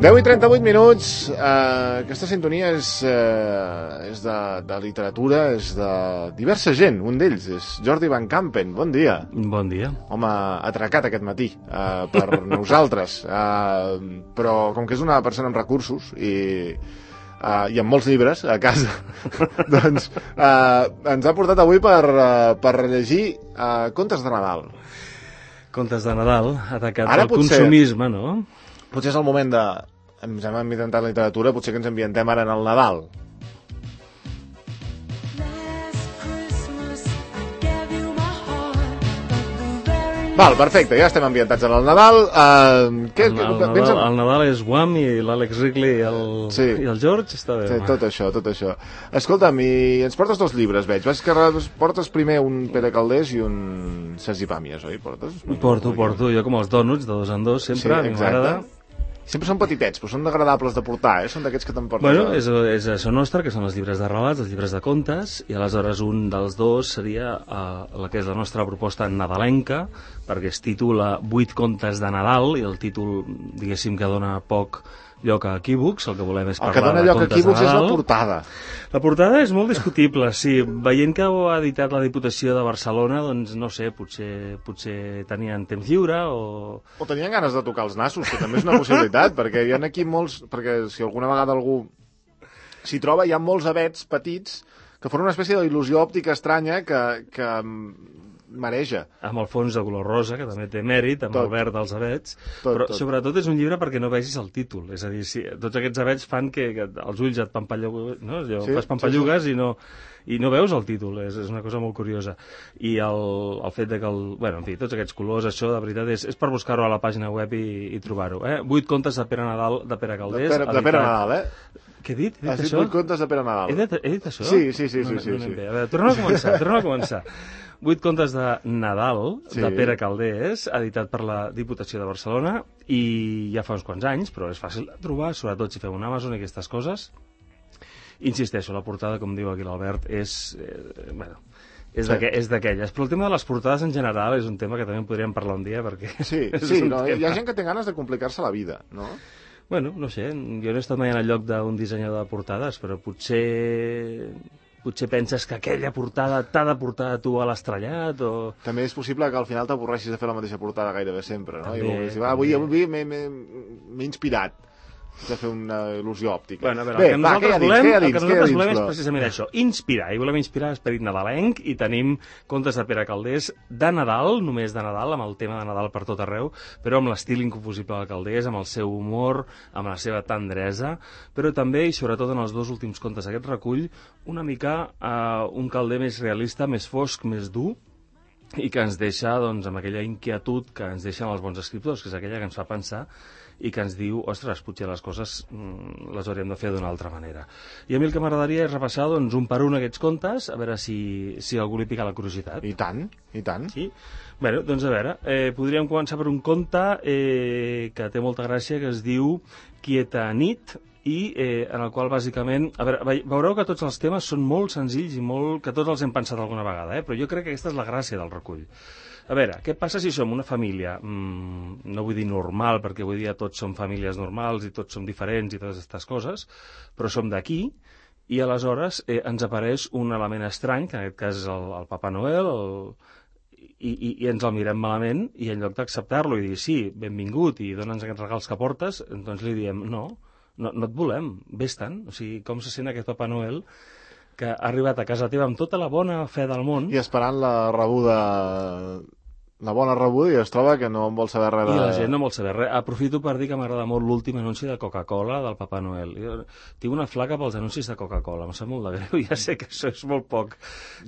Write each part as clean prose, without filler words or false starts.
10:38. Aquesta sintonia és de literatura, és de diversa gent. Un d'ells és Jordi Van Kampen. Bon dia. Bon dia. Home, atracat aquest matí per nosaltres. Però com que és una persona amb recursos i amb molts llibres a casa, doncs ens ha portat avui per rellegir contes de Nadal. Contes de Nadal, atacat pel consumisme, no? Potser és el moment de... Ens hem ambientat la literatura, potser que ens ambientem ara en el Nadal. Val, perfecte, ja estem ambientats en el Nadal. El Nadal és Guam i l'Àlex Wrigley i el George, està bé. Sí, tot això. Escolta'm, i ens portes dos llibres, veig. Portes primer un Pere Calders i un Sergi Pàmies, oi? Porto, jo com els dònuts, de dos en dos, sempre, sí, m'agrada. Sempre són petitets, però són agradables de portar, són d'aquests que t'emportes. Bueno, és això nostre, que són els llibres de relats, els llibres de contes, i aleshores un dels dos seria la que és la nostra proposta nadalenca, perquè es titula 8 contes de Nadal, i el títol, diguéssim, que dona poc lloc a equívocs, el que volem és parlar de contes de Nadal. El que dona lloc a equívocs és la portada. La portada és molt discutible, sí. Veient que ho ha editat la Diputació de Barcelona, doncs no sé, potser tenien temps lliure o... O tenien ganes de tocar els nassos, que també és una possibilitat, perquè hi ha aquí molts... Perquè si alguna vegada algú s'hi troba, hi ha molts avets petits que formen una espècie d'il·lusió òptica estranya que mareja. Amb el fons de color rosa, que també té mèrit, amb el verd dels avets, però sobretot és un llibre perquè no vegis el títol, és a dir, tots aquests avets fan que els ulls et pampalluguen, no? Fas pampallugues i no veus el títol, és una cosa molt curiosa. I el fet de que, en fi, tots aquests colors, això de veritat és per buscar-ho a la pàgina web i trobar-ho. 8 contes de Pere Nadal, de Pere Calders. De Pere Nadal, Què he dit? Has dit 8 contes de Pere Nadal. He dit això? Sí. A veure, tornem a començar. 8 contes de Nadal, de Pere Calders, editat per la Diputació de Barcelona, i ja fa uns quants anys, però és fàcil de trobar, sobretot si feu un Amazon i aquestes coses. Insisteixo, la portada, com diu aquí l'Albert, és d'aquelles. Però el tema de les portades en general és un tema que també podríem parlar un dia, perquè... Sí, hi ha gent que té ganes de complicar-se la vida, no? Bueno, no sé, jo no he estat mai en el lloc d'un dissenyador de portades, però potser penses que aquella portada t'ha de portar a tu a l'estrellat o... També és possible que al final t'avorreixis de fer la mateixa portada gairebé sempre, no? També, I avui m'he inspirat de fer una il·lusió òptica. Bueno, a veure, el que nosaltres volem és precisament això, inspirar, i volem inspirar l'esperit nadalenc, i tenim contes de Pere Calders de Nadal, només de Nadal, amb el tema de Nadal per tot arreu, però amb l'estil inconfusible de Calders, amb el seu humor, amb la seva tendresa, però també, i sobretot en els dos últims contes d'aquest recull, una mica un Calder més realista, més fosc, més dur, i que ens deixa, doncs, amb aquella inquietud que ens deixen els bons escriptors, que és aquella que ens fa pensar i que ens diu, ostres, potser les coses les hauríem de fer d'una altra manera. I a mi el que m'agradaria és repassar, doncs, un per un aquests contes, a veure si algú li pica la curiositat. I tant. Sí? Bé, doncs a veure, podríem començar per un conte que té molta gràcia, que es diu Quieta nit, i en el qual bàsicament... A veure, veureu que tots els temes són molt senzills i que tots els hem pensat alguna vegada, però jo crec que aquesta és la gràcia del recull. A veure, què passa si som una família, no vull dir normal, perquè avui dia tots som famílies normals i tots som diferents i totes aquestes coses, però som d'aquí, i aleshores ens apareix un element estrany, que en aquest cas és el Papa Noel, i ens el mirem malament, i en lloc d'acceptar-lo i dir sí, benvingut, i dona'ns aquests regals que portes, doncs li diem no et volem, vés-te'n. O sigui, com se sent aquest Papa Noel que ha arribat a casa teva amb tota la bona fe del món... I esperant la bona rebuda, i es troba que no en vol saber res. I la gent no vol saber res. Aprofito per dir que m'agrada molt l'últim anunci de Coca-Cola del Papa Noel. Jo tinc una flaca pels anuncis de Coca-Cola, em sap molt de greu, ja sé que això és molt poc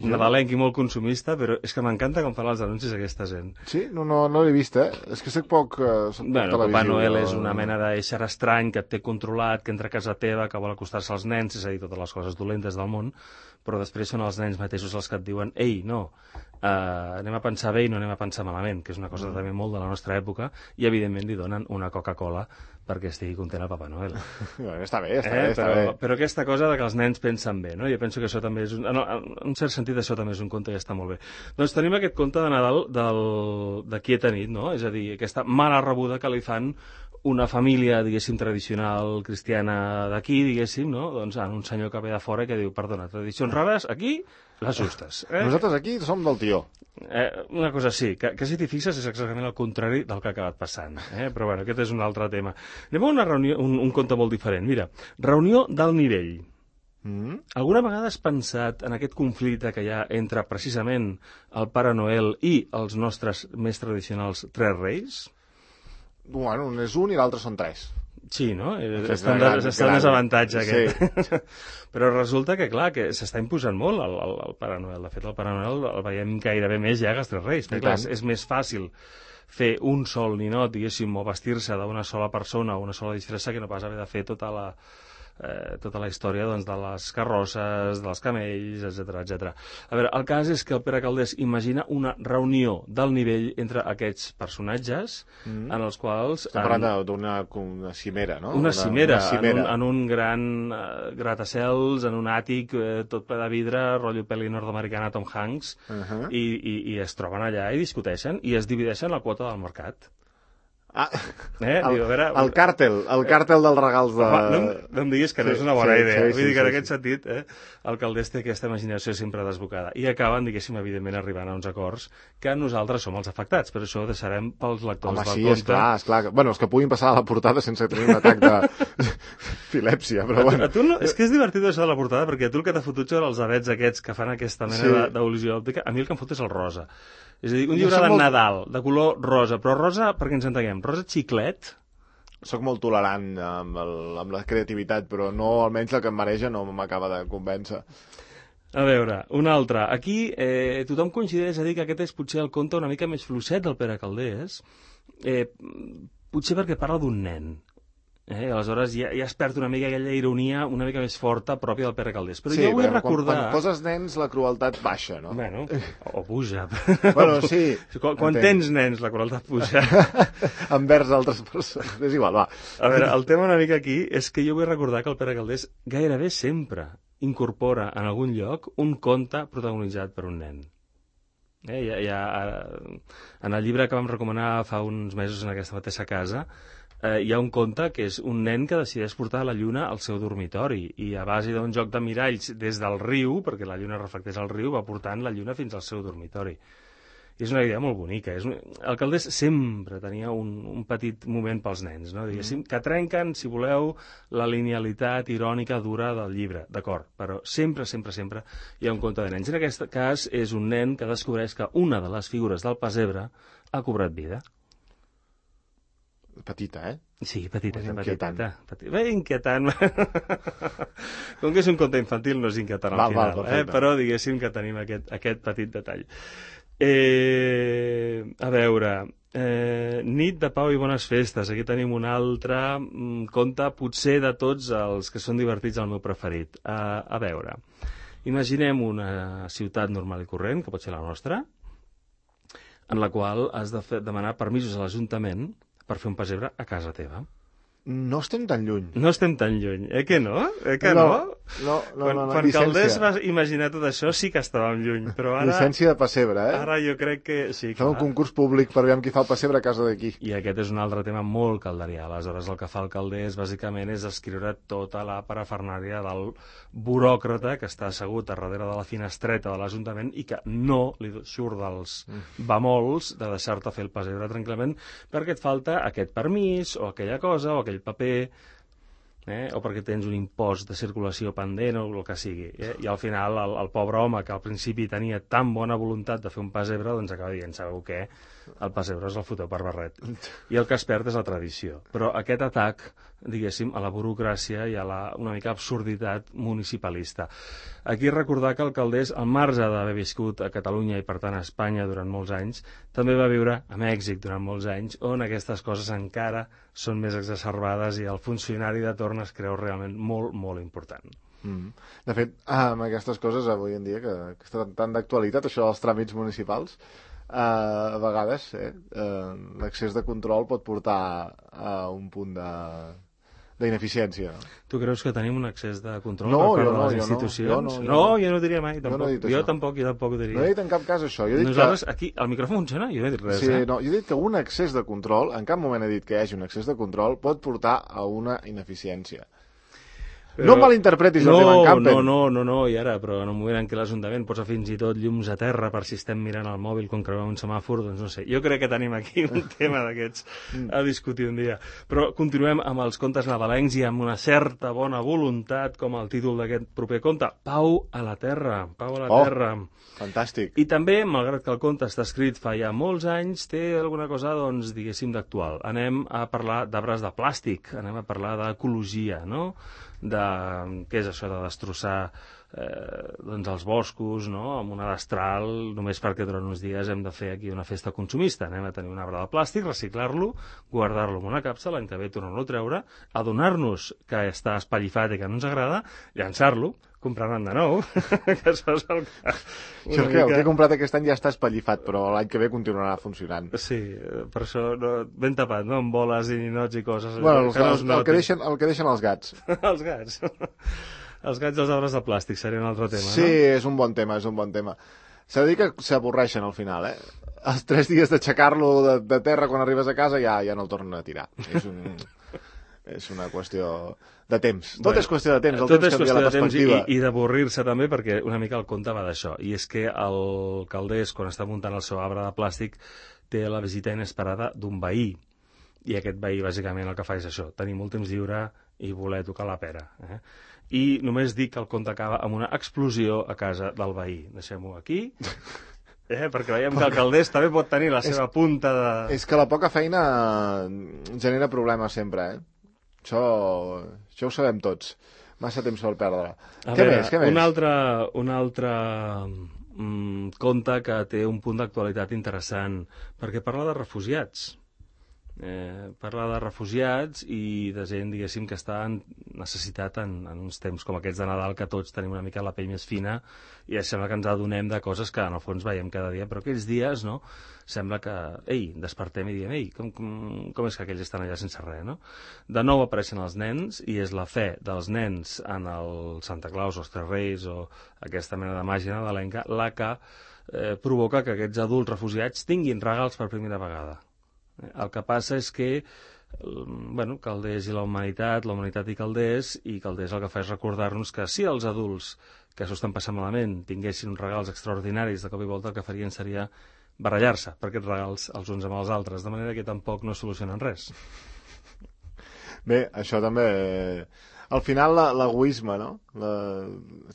nadalenc i molt consumista, però és que m'encanta com fan els anuncis aquesta gent. Sí? No l'he vist, És que soc poc Papa Noel és una mena d'ésser estrany que et té controlat, que entra a casa teva, que vol acostar-se als nens, és a dir, totes les coses dolentes del món, però després són els nens mateixos els que et diuen ei, no, anem a pensar bé i no anem a pensar malament, que és una cosa també molt de la nostra època, i evidentment li donen una Coca-Cola perquè estigui content el Papa Noel. Està bé. Però aquesta cosa de que els nens pensen bé, no? Jo penso que això també és en un cert sentit això també és un conte que està molt bé. Doncs tenim aquest conte de Nadal de Quieta nit, no? És a dir, aquesta mala rebuda que li fan una família, diguéssim, tradicional cristiana d'aquí, diguéssim, no? Doncs un senyor que ve de fora que diu, perdona, tradicions rares, aquí, les justes. Nosaltres aquí som del tió. Una cosa sí, que si t'hi fixes és exactament el contrari del que ha acabat passant. Però bueno, aquest és un altre tema. Anem a una reunió, un conte molt diferent. Mira, reunió d'alt nivell. Alguna vegada has pensat en aquest conflicte que hi ha entre precisament el Pare Noel i els nostres més tradicionals tres reis? Bueno, un és un i l'altre són tres. Sí, no? Està en desavantatge aquest. Sí. Però resulta que, clar, que s'està imposant molt el Pare Noel. De fet, el Pare Noel el veiem gairebé més ja que els tres reis. Perquè, clar, és més fàcil fer un sol ninot, diguéssim, o vestir-se d'una sola persona o una sola disfressa que no pas haver de fer tota la història doncs, de les carrosses, dels camells, etc. A veure, el cas és que el Pere Calders imagina una reunió d'alt nivell entre aquests personatges en els quals... Estem parlant d'una cimera, no? Una cimera. En un gran gratacels, en un àtic, tot ple de vidre, rotllo pel·li nord-americana Tom Hanks, i es troben allà i discuteixen i es divideixen la quota del mercat. El càrtel dels regals de... No em diguis que no és una bona idea. Vull dir que en aquest sentit el Calders té aquesta imaginació sempre desbocada. I acaben, diguéssim, evidentment arribant a uns acords que nosaltres som els afectats, però això ho deixarem pels lectors del conte. Home, sí, esclar. Bueno, els que puguin passar a la portada sense tenir un atac d'epilèpsia, però bueno. És que és divertit això de la portada, perquè a tu el que t'ha fotut són els avets aquests que fan aquesta mena d'il·lusió òptica. A mi el que em fot és el rosa. És a dir, un llibre de Nadal, de color rosa, però rosa, perquè ens entenguem, rosa xiclet. Soc molt tolerant amb la creativitat, però no, almenys la que em mareja no m'acaba de convèncer. A veure, un altre. Aquí tothom coincideix a dir que aquest és potser el conte una mica més fluixet del Pere Calders, potser perquè parla d'un nen. Aleshores ja es perd una mica aquella ironia una mica més forta pròpia del Pere Calders. Però jo vull recordar... Quan poses nens la crueltat baixa, no? Bueno, o puja. Bueno, sí. Quan tens nens la crueltat puja. Envers altres persones. És igual, va. A veure, el tema una mica aquí és que jo vull recordar que el Pere Calders gairebé sempre incorpora en algun lloc un conte protagonitzat per un nen. En el llibre que vam recomanar fa uns mesos en aquesta mateixa casa hi ha un conte que és un nen que decideix portar la lluna al seu dormitori i a base d'un joc de miralls des del riu, perquè la lluna reflecteix el riu, va portant la lluna fins al seu dormitori. I és una idea molt bonica. El Calders sempre tenia un petit moment pels nens, no? Diguéssim, que trenquen, si voleu, la linealitat irònica dura del llibre, d'acord, però sempre hi ha un conte de nens. En aquest cas és un nen que descobreix que una de les figures del pessebre ha cobrat vida. Petita, Sí, petita. Bé, inquietant. Com que és un conte infantil, no és inquietant al final, però diguéssim que tenim aquest petit detall. A veure, nit de pau i bones festes. Aquí tenim un altre conte, potser de tots els que són divertits, el meu preferit. A veure, imaginem una ciutat normal i corrent, que pot ser la nostra, en la qual has de demanar permisos a l'Ajuntament per fer un pessebre a casa teva. No estem tan lluny. No estem tan lluny, que no? No. Quan Calders va imaginar tot això sí que estàvem lluny, però ara... Llicència de pessebre, Ara jo crec que sí. Fem un concurs públic per veure qui fa el pessebre a casa d'aquí. I aquest és un altre tema molt calderià. Aleshores, el que fa el Calders, bàsicament, és escriure tota la parafernàlia del buròcrata que està assegut a darrere de la finestreta de l'Ajuntament i que no li surt dels bemols de deixar-te fer el pessebre tranquil·lament perquè et falta aquest permís o aquella cosa o aquell paper, o perquè tens un impost de circulació pendent o el que sigui. I al final el pobre home que al principi tenia tan bona voluntat de fer un pessebre, doncs acaba dient, sabeu què? El pessebre és el fotó per barret. I el que es perd és la tradició. Però aquest atac, diguéssim, a la burocràcia i a una mica absurditat municipalista. Aquí recordar que el Calders, al marge d'haver viscut a Catalunya i per tant a Espanya durant molts anys, també va viure a Mèxic durant molts anys, on aquestes coses encara són més exacerbades i el funcionari de torn es creu realment molt, molt important. De fet, amb aquestes coses avui en dia, que està tan d'actualitat, això dels tràmits municipals, a vegades l'accés de control pot portar a un punt d'ineficiència. Tu creus que tenim un excés de control No, per part jo de no, les jo no, institucions? jo no. Jo no ho diria mai, tampoc. no he dit Jo això. tampoc ho diria. No he dit en cap cas això. Jo he dit Nosaltres, aquí, el micròfon funciona? Jo no he dit res, sí, no, jo he dit que un excés de control, en cap moment he dit que hi hagi un excés de control, pot portar a una ineficiència. No em malinterpretis el tema en Campen. No, i ara, però en un moment en què l'Ajuntament posa fins i tot llums a terra per si estem mirant el mòbil quan creuem un semàfor, doncs no sé. Jo crec que tenim aquí un tema d'aquests a discutir un dia. Però continuem amb els contes nadalencs i amb una certa bona voluntat, com el títol d'aquest proper conte, Pau a la Terra. Pau a la Terra. Fantàstic. I també, malgrat que el conte està escrit fa ja molts anys, té alguna cosa, doncs, diguéssim, d'actual. Anem a parlar d'arbres de plàstic, anem a parlar d'ecologia, no?, de què és això de destrossar doncs els boscos, no?, amb una destral, només perquè durant uns dies hem de fer aquí una festa consumista. Anem a tenir un arbre de plàstic, reciclar-lo, guardar-lo en una capsa, l'any que ve tornar-lo a treure, adonar-nos que està espallifat i que no ens agrada, llançar-lo, comprar-ne de nou, que això és el que... El que he comprat aquest any ja està espallifat, però l'any que ve continuarà funcionant. Sí, per això ben tapat, no?, amb boles i ninots i coses. Bueno, el que deixen els gats. Els gats. Els gats i els arbres de plàstic seria un altre tema, sí, no? Sí, és un bon tema, és un bon tema. S'ha de dir que s'avorreixen al final, Els 3 dies d'aixecar-lo de terra quan arribes a casa ja no el tornen a tirar. És una qüestió de temps. Tot és qüestió de temps, el temps canvia la perspectiva. I d'avorrir-se també, perquè una mica el conte va d'això. I és que el Calders, quan està muntant el seu arbre de plàstic, té la visita inesperada d'un veí. I aquest veí, bàsicament, el que fa és això, tenir molt temps lliure i voler tocar la pera. I només dic que el conte acaba amb una explosió a casa del veí. Deixem-ho aquí, perquè veiem que el Calders també pot tenir la seva punta de... És que la poca feina genera problemes sempre, Això ho sabem tots. Massa temps per perdre. Què més? Un altre conte que té un punt d'actualitat interessant, perquè parla de refugiats. Parla de refugiats i de gent, diguéssim, que està en necessitat en uns temps com aquests de Nadal, que tots tenim una mica la pell més fina i sembla que ens adonem de coses que en el fons veiem cada dia, però aquells dies, no?, sembla que, despertem i diem, com és que aquells estan allà sense res, no? De nou apareixen els nens i és la fe dels nens en el Santa Claus o els Tres Reis o aquesta mena de màgia nadalenca la que provoca que aquests adults refugiats tinguin regals per primera vegada. El que passa és que Calders i la humanitat i Calders el que fa és recordar-nos que si els adults que s'ho estan passant malament tinguessin uns regals extraordinaris, de cop i volta el que farien seria barallar-se per aquests regals els uns amb els altres, de manera que tampoc no solucionen res. Bé, això també... Al final, l'egoisme, no?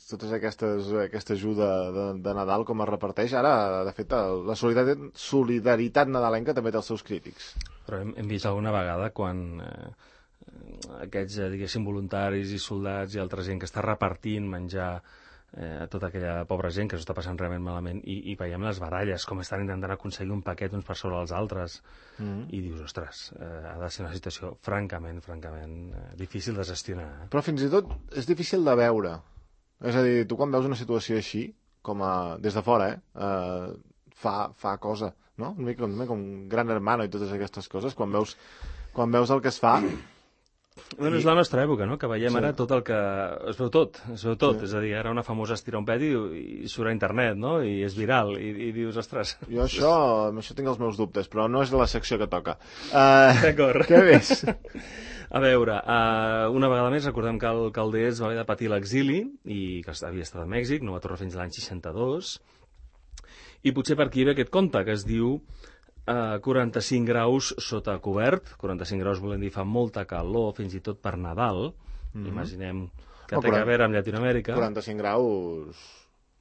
Tota aquesta ajuda de Nadal, com es reparteix, ara, de fet, la solidaritat nadalenca també té els seus crítics. Però hem vist alguna vegada quan aquests, diguéssim, voluntaris i soldats i altra gent que està repartint menjar a tota aquella pobra gent que s'ho està passant realment malament i veiem les baralles, com estan intentant aconseguir un paquet uns per sobre els altres i dius, ostres, ha de ser una situació francament difícil de gestionar. Però fins i tot és difícil de veure. És a dir, tu quan veus una situació així, des de fora, fa cosa, no? Una mica com Gran Hermano i totes aquestes coses, quan veus el que es fa... Bueno, és la nostra època, no?, que veiem ara tot el que... Es veu tot. Sí. És a dir, ara una famosa estira un pet i surt a internet, no?, i és viral, i dius, ostres... Jo això tinc els meus dubtes, però no és la secció que toca. D'acord. Què més? A veure, una vegada més recordem que el Calders va haver de patir l'exili i que havia estat a Mèxic, no va tornar fins a l'any 62, i potser per aquí ve aquest conte que es diu 45 graus sota cobert. 45 graus volem dir fa molta calor, fins i tot per Nadal. Imaginem que té a veure amb Llatinoamèrica. 45 graus...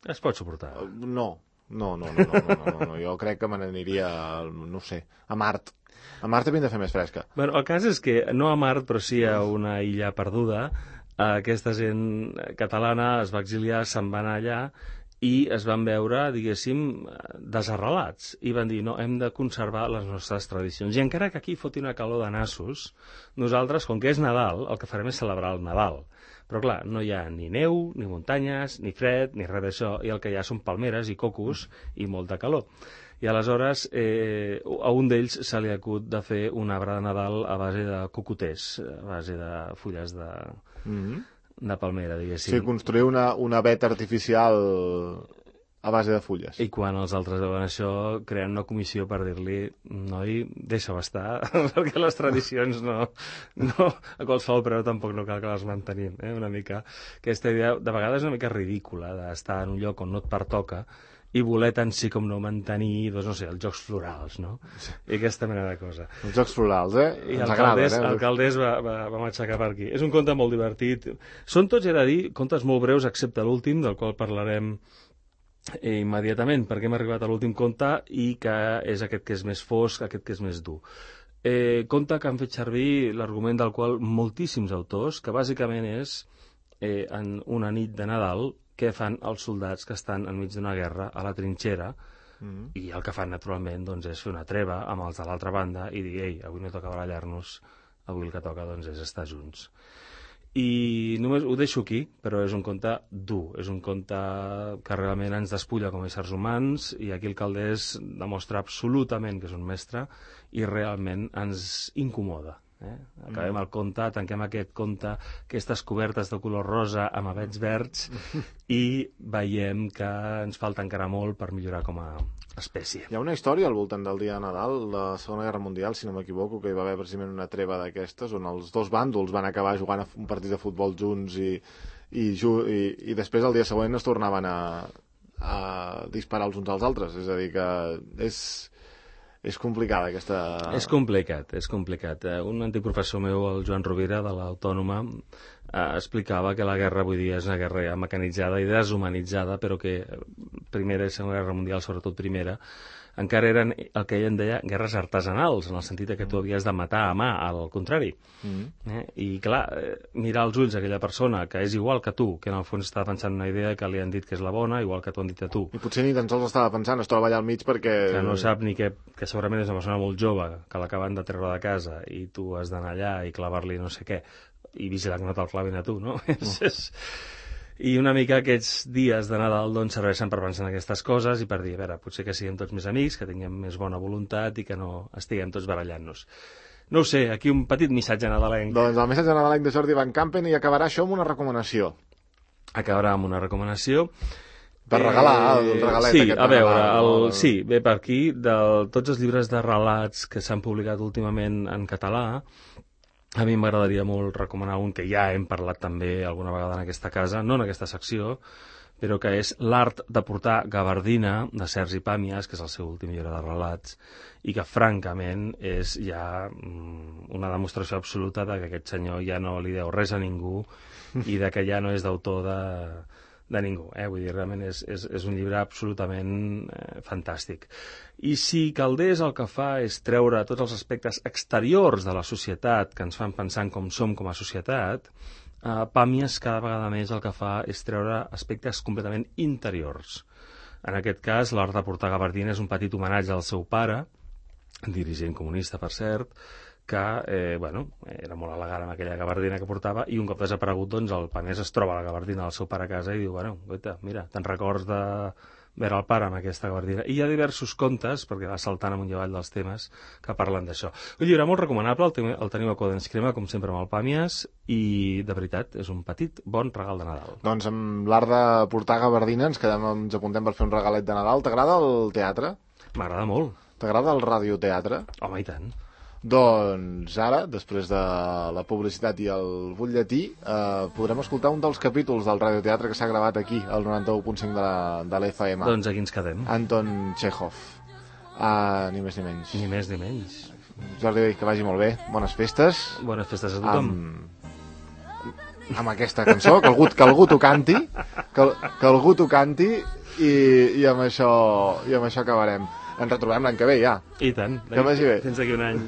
Es pot suportar. No. Jo crec que me n'aniria, no sé, a Mart. A Mart havien de fer més fresca. Bueno, el cas és que no a Mart, però sí a una illa perduda. Aquesta gent catalana es va exiliar, se'n va anar allà i es van veure, diguéssim, desarrelats. I van dir, no, hem de conservar les nostres tradicions. I encara que aquí foti una calor de nassos, nosaltres, com que és Nadal, el que farem és celebrar el Nadal. Però clar, no hi ha ni neu, ni muntanyes, ni fred, ni res d'això, i el que hi ha són palmeres i cocos i molta calor. I aleshores a un d'ells se li acut de fer un arbre de Nadal a base de cocoters, a base de fulles de palmera, diguéssim. Sí, construir una veta artificial a base de fulles. I quan els altres veuen això, creen una comissió per dir-li, noi, deixa-ho estar, perquè les tradicions no, a qualsevol preu tampoc no cal que les mantenim. Una mica, aquesta idea de vegades és una mica ridícula d'estar en un lloc on no et pertoca i voler tant sí com no mantenir, doncs, no sé, els jocs florals, no? I aquesta mena de cosa. Els jocs florals, I l'alcaldés va matxacar per aquí. És un conte molt divertit. Són tots, he de dir, contes molt breus, excepte l'últim, del qual parlarem immediatament, perquè hem arribat a l'últim conte i que és aquest que és més fosc, aquest que és més dur. Conte que han fet servir l'argument del qual moltíssims autors, que bàsicament és en una nit de Nadal què fan els soldats que estan enmig d'una guerra a la trinxera i el que fan naturalment doncs, és fer una treva amb els de l'altra banda i dir, ei, avui no toca barallar-nos, avui el que toca doncs, és estar junts. I només ho deixo aquí, però és un conte dur, és un conte que realment ens despulla com a éssers humans i aquí el Calders demostra absolutament que és un mestre i realment ens incomoda. Acabem el conte, tanquem aquest conte, aquestes cobertes de color rosa amb avets verds i veiem que ens falta encara molt per millorar com a espècie. Hi ha una història al voltant del dia de Nadal, la Segona Guerra Mundial, si no m'equivoco, que hi va haver precisament una treva d'aquestes on els dos bàndols van acabar jugant un partit de futbol junts i després el dia següent es tornaven a disparar els uns als altres. És a dir, que és complicada aquesta... És complicat. Un antic professor meu, el Joan Rovira, de l'Autònoma, explicava que la guerra avui dia és una guerra ja mecanitzada i deshumanitzada, però que Primera i Segona Guerra Mundial, sobretot Primera, encara eren el que ell en deia guerres artesanals, en el sentit que tu havies de matar a mà, al contrari. I clar, mirar als ulls aquella persona que és igual que tu, que en el fons està pensant una idea que li han dit que és la bona, igual que t'ho han dit a tu. I potser ni tan sols estava pensant, es troba allà al mig perquè... Que no sap ni que segurament és una persona molt jove, que l'acaben de treure de casa i tu has d'anar allà i clavar-li no sé què, i vigilar que no te'l clavin a tu, no? I una mica aquests dies de Nadal doncs, serveixen per pensar en aquestes coses i per dir, a veure, potser que siguem tots més amics, que tinguem més bona voluntat i que no estiguem tots barallant-nos. No ho sé, aquí un petit missatge nadalenc. Doncs el missatge nadalenc de Jordi Van Campen i acabarà això amb una recomanació. Acabarà amb una recomanació. Per regalar el regalet sí, aquest. A veure, sí, ve per aquí, de tots els llibres de relats que s'han publicat últimament en català. A mi m'agradaria molt recomanar un que ja hem parlat també alguna vegada en aquesta casa, no en aquesta secció, però que és L'art de portar gabardina, de Sergi Pàmies, que és el seu últim llibre de relats, i que francament és ja una demostració absoluta de que aquest senyor ja no li deu res a ningú i de que ja no és d'autor de ningú. Vull dir, realment és un llibre absolutament fantàstic. I si Calders el que fa és treure tots els aspectes exteriors de la societat que ens fan pensar en com som com a societat, Pàmies cada vegada més el que fa és treure aspectes completament interiors. En aquest cas, L'art de portar gabardina és un petit homenatge al seu pare, dirigent comunista, per cert, que era molt elegant amb aquella gabardina que portava i un cop desaparegut, doncs, el Pàmies es troba la gabardina del seu pare a casa i diu, mira, te'n records de veure el pare amb aquesta gabardina. I hi ha diversos contes, perquè va saltant amunt i avall dels temes, que parlen d'això. Un llibre molt recomanable, el teniu a Codens Crema, com sempre amb el Pàmies, i de veritat és un petit bon regal de Nadal. Doncs amb l'art de portar gabardina ens apuntem per fer un regalet de Nadal. T'agrada el teatre? M'agrada molt. T'agrada el radioteatre? Home, i tant. Doncs ara, després de la publicitat i el butlletí, podrem escoltar un dels capítols del radioteatre que s'ha gravat aquí, al 91.5 de l'FM. Doncs aquí ens quedem. Anton Chekhov. Ni més ni menys. Ni més ni menys. Jordi, que vagi molt bé. Bones festes. Bones festes a tothom. Amb aquesta cançó, que algú t'ho canti, que algú t'ho canti i amb això acabarem. Ens retrobem l'any que ve, ja. I tant. Que vagi bé. Fins d'aquí un any.